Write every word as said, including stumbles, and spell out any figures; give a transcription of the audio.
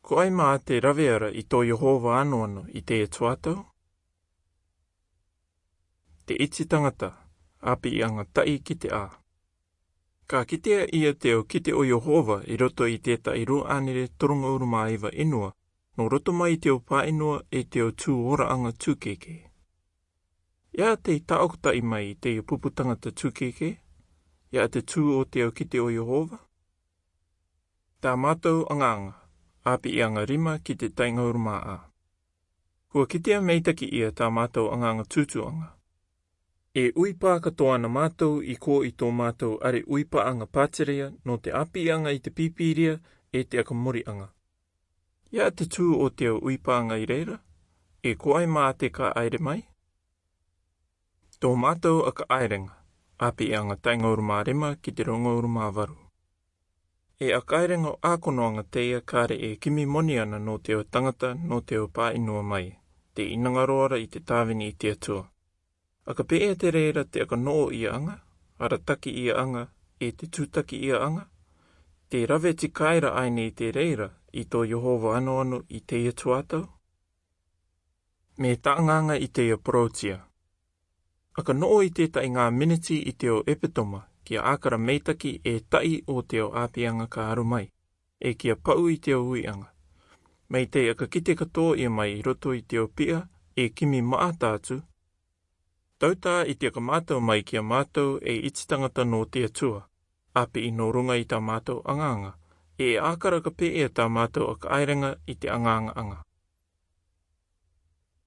Ko ai mā te rave ra i tō Iehova anoano i te Atua tau? Te iti tangata, āpiaŋa taʻi ki te ʻā. Ka kitea ia te ao kite o Iehova i roto i tētaʻi rua ʻānere toru ngauru mā iva inua, nō roto mai i te ao pāʻinua e te ao tū oraʻaga tūkēkē. Ia te taʻokotaʻi mai i te pupu tangata tūkēkē, ia te tū o te ao kite o Iehova. Tā mātou agaga, āpiaŋa rima ki te taʻi ngauru mā ʻā. Kua kitea meitaki ia tā mātou agaga tūtūaga. E ui pā katoa ana mātou i kō i tō mātou ʻare ui pāʻaga pātireia nō te āpiaŋa i te pīpīria e te aka moriʻaga. Ia te tū o te ao ui pāʻaga i reira, e ko ai mā te ka ʻaere mai. Tō mātou aka ʻaereaga, āpiaŋa taʻi ngauru mā rima ki te rua ngauru mā varu. E aka ʻaereaga ʻākonoaga teie kare e kimi moni ana nō te ao tangata, nō te ao pāʻinua mai, te inaga roa ra i te tāvini i te Atua. Aka pēʻea te reira te aka noʻo iaʻaga, arataki iaʻaga, e te tūtaki iaʻaga? Te rave tikaira ʻaene i te reira i tō Iehova anoano i te Atua tau? Me taʻaŋaŋa i te ao porōtia. Aka noʻo i tētaʻi ngā miniti i te ao ʻepetoma, kia ʻākara meitaki e taʻi o te ao āpiaŋa ka aro mai, e kia paʻu i te ao uiʻaga. Mai te aka kite katoa ia mai i roto i te ao piʻa, e kimi maʻata atu. Tautā i te aka mātau mai kia mātau e iti tangata nō te Atua, ʻāpī nō ruŋa i tā mātau agaga, e ʻākara ka pēʻea tā mātau aka ʻaereaga i te agaga aŋa.